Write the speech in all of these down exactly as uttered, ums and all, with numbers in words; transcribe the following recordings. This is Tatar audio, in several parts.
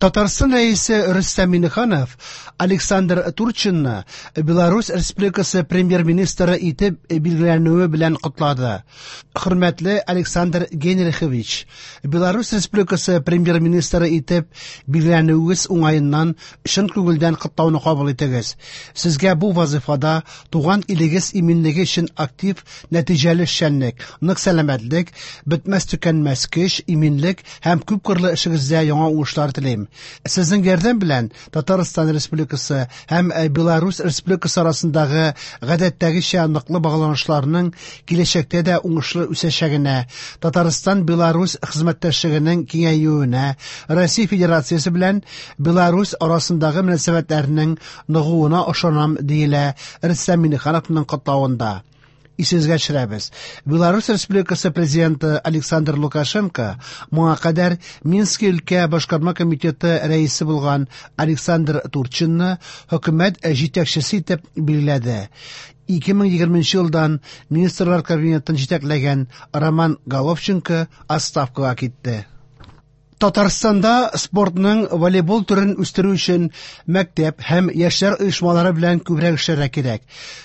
Татарстан Рәисе Рөстәм Миңнеханов Александр Турчинны Беларусь Республикасы премьер-министры итеп билгеләнүе белән котлады. Хөрмәтле Александр Генрихович, Беларусь Республикасы премьер-министры итеп билгеләнүегез уңаеннан чын күңелдән котлауны кабул итегез. Сезгә бу вазифада туган илегез иминлеге өчен актив, нәтиҗәле эшчәнлек, нык сәламәтлек, бетмәс-төкәнмәс көч, иминлек һәм күпкырлы эшегездә яңа уңышлар телим. Сезнең ярдәм белән Татарстан Республикасы һәм Беларусь Республикасы арасындагы гадәттәгечә ныклы багланышларның киләчәктә дә уңышлы үсәчәгенә, Татарстан-Беларусь хезмәттәшлегенең киңәюенә, Россия Федерациясе белән Беларусь арасындагы мөнәсәбәтләрнең ныгуына ышанам, диелә Рөстәм Миңнехановның котлавында. Исегезгә төшерәбез. Беларусь Республикасы президенты Александр Лукашенко моңа кадәр Минск өлкә башкарма комитеты рәисе булган Александр Турчинны хөкүмәт җитәкчесе итеп билгеләде. ике мең егерменче елдан Министрлар Кабинетын җитәкләгән Роман Головченко отставкага китте. Татарстанда спортның волейбол төрен үстерү өчен мәктәп һәм яшьләр оешмалары белән күбрәк эшләргә кирәк.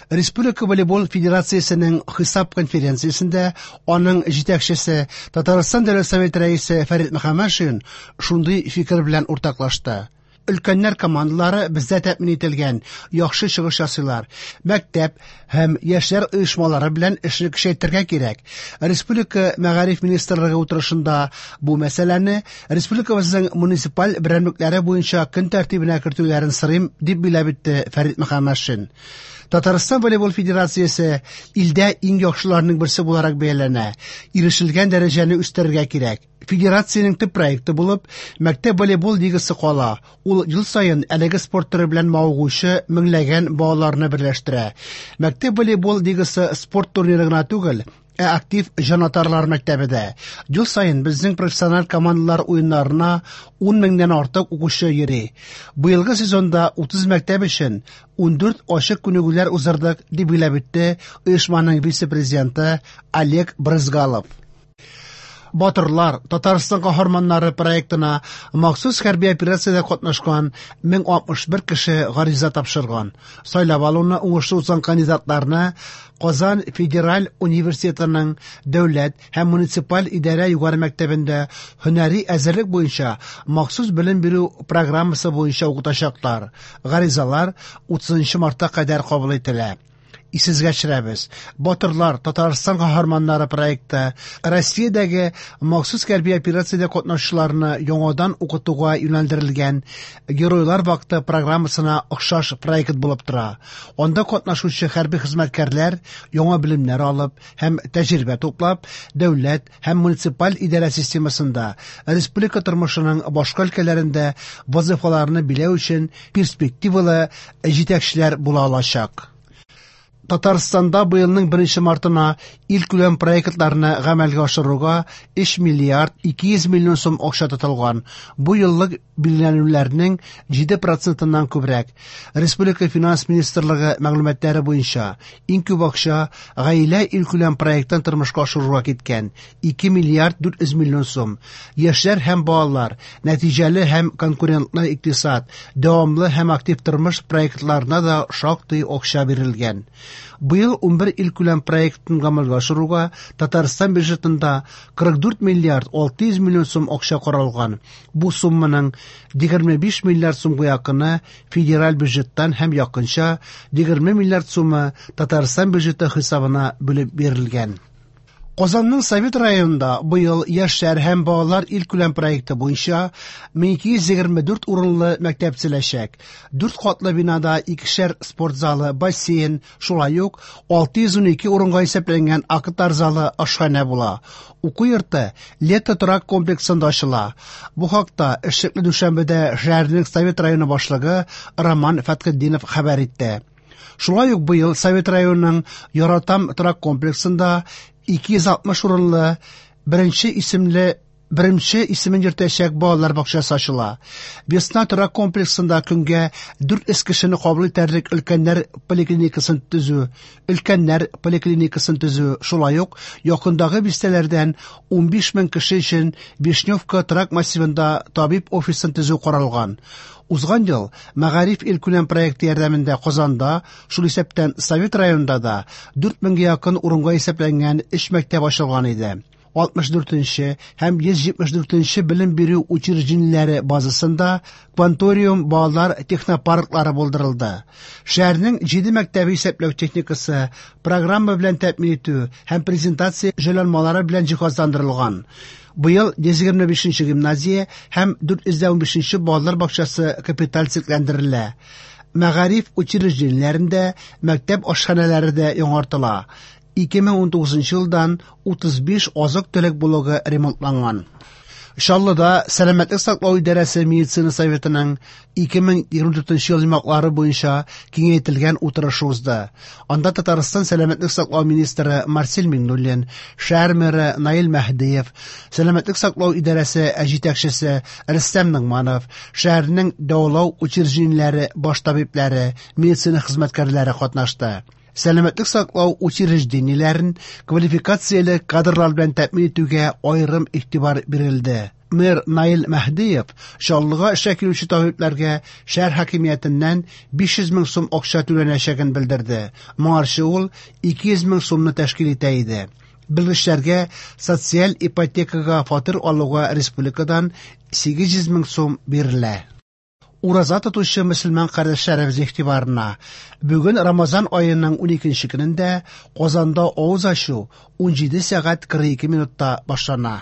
Республика волейбол федерациясенең хисап конференциясендә аның җитәкчесе Татарстан Дәүләт Советы рәисе Фәрит Мөхәммәтшин шундый фикер белән уртаклашты. Өлкәннәр командалары бездә тәэмин ителгән, яхшы чыгыш ясыйлар. Мәктәп һәм яшьләр оешмалары белән эшне көчәйтергә кирәк. Республика Мәгариф министрлыгы утырышында бу мәсьәләне республикабызның муниципаль берәмлекләре буенча көн тәртибенә кертүләрен сорыйм, дип билгеләп үтте Фәрит Мөхәммәтшин. Татарстан волейбол федерациясе илдә иң яхшыларның берсе буларак бәяләнә. Ирешелгән дәрәҗәне үстерергә кирәк. Федерациянең төп проекты булып мәктәп волейбол лигасы кала. Ул ел саен әлеге спорт төре белән мавыгучы меңләгән балаларны берләштерә. Мәктәп волейбол лигасы спорт турниры гына түгел, ә актив җанатарлар мәктәбе дә. Ел саен безнең профессиональ командалар уеннарына ун меңнән артык укучы йөри. Быелгы сезонда утыз мәктәп өчен ундүрт ачык күнегүләр уздырдык, дип билгеләп үтте оешманың вице-президенты Олег Брызгалов. Батырлар Татарстан каһарманнары проектына махсус хәрби операциядә катнашкан мең алтмыш бер кеше гариза тапшырган. Сайлап алуны уңышлы узган кандидатларны Казан федераль университетының дәүләт һәм муниципаль идарә югары мәктәбендә һөнәри әзерлек буенча махсус белем бирү программасы буенча укытачаклар. Гаризалар утызынчы мартка кадәр кабул ителә. Исегезгә төшерәбез. Батырлар Татарстан каһарманнары проекты Россиядәге махсус хәрби операциядә катнашучыларны яңадан укытуга юнәлдерелгән Геройлар вакыты программасына охшаш проект булып тора. Анда катнашучы хәрби хезмәткәрләр яңа белемнәр алып һәм тәҗрибә туплап, дәүләт һәм муниципаль идарә системасында, республика тормышының башка өлкәләрендә вазифаларны биләү өчен перспективалы җитәкчеләр була алачак. Татарстанда быелның беренче мартына илкүләм проектларны гамәлгә ашыруга өч миллиард ике йөз миллион сум акча тотылган. Бу еллык билгеләнүләрнең җиде процентыннан күбрәк. Республика финанс министрлыгы мәгълүматлары буенча иң күп акча гаилә илкүләм проектын тормышка ашыруга киткән ике миллиард дүрт йөз миллион сум. Яшьләр һәм балалар, нәтиҗәле һәм конкурентлы икътисад, дәвамлы һәм актив тормыш проектларына да шактый акча бирелгән. Быел унбер илкүләм проектын гамәлгә ашыруга Татарстан бюджетында кырык дүрт миллиард алты йөз миллион сум акча каралган. Бу сумманың егерме биш миллиард сумга якыны федераль бюджеттан һәм якынча егерме миллиард сумы Татарстан бюджеты хисабына бүлеп бирелгән. Казанның Совет районында быел яшьләр һәм балалар илкүләм проекты буенча мең ике йөз егерме дүрт урынлы мәктәп төзеләчәк. Дүрт катлы бинада икешәр спорт залы, бассейн, шулай ук алты йөз унике урынга исәпләнгән актлар залы, ашханә була. Уку йорты Лето торак комплексында ачыла. Бу хакта эшлекле дүшәмбедә шәһәрнең Совет районы башлыгы Роман Фәтхетдинов хәбәр итте. Шулай ук быел Совет районының Яратам торак комплексында ике йөз алтмыш урынлы беренче исемле беренче исемен йөртәчәк балалар бакчасы ачыла. Весна торак комплексында көнгә дүрт йөз кешене кабул итәрлек өлкәннәр поликлиникасын төзү, өлкәннәр поликлиникасын төзү, шулай ук якындагы бистәләрдән унбиш мең кеше өчен Вишневка торак массивында табиб офисын төзү каралган. Узган ел Мәгариф илкүләм проекты ярдәмендә Казанда, шул исәптән Совет районында да дүрт меңгә якын урынга исәпләнгән өч мәктәп ачылган иде. алтмыш дүртенче һәм йөз җитмеш дүртенче белем бирү учреждениеләре базасында Кванториум балалар технопарклары булдырылды. Шәһәрнең җиде мәктәбе исәпләү техникасы, программа белән тәэмин итү һәм презентация җайланмалары белән җиһазландырылган. Быел йөз егерме бишенче гимназия һәм дүрт йөз унбишенче балалар бакчасы капиталь төзекләндерелә. Мәгариф учреждениеләрендә мәктәп ашханәләре дә яңартыла. ике мең унтугызынчы елдан утыз биш азык-төлек блогы ремонтланган. Чаллыда Сәламәтлек саклау идарәсе медицина советының ике мең егерме дүртенче ел йомгаклары буенча киңәйтелгән утырышы узды. Анда Татарстан Сәламәтлек саклау министры Марсель Миңнуллин, шәһәр мэры Наил Мәһдиев, Сәламәтлек саклау идарәсе җитәкчесе Рөстәм Ногманов, шәһәрнең дәвалау учреждениеләре баш табибләре, медицина хезмәткәрләре катнашты. Сәламәтлек саклау учреждениеләрен квалификацияле кадрлар белән тәэмин итүгә аерым игътибар бирелде. Мэр Наил Мәһдиев Чаллыга эшкә килүче табибләргә шәһәр хакимиятеннән биш йөз мең сум акча түләнәчәген белдерде. Моңарчы ул ике йөз мең сумны тәшкил итә иде. Белгечләргә социаль ипотекага фатир алуга республикадан сигез йөз мең сум бирелә. Ураза тотучы мөселман кардәшләребез игътибарына. Бүген Рамазан аеның уникенче көнендә Казанда авыз ачу унҗиде сәгать кырык ике минутта башлана.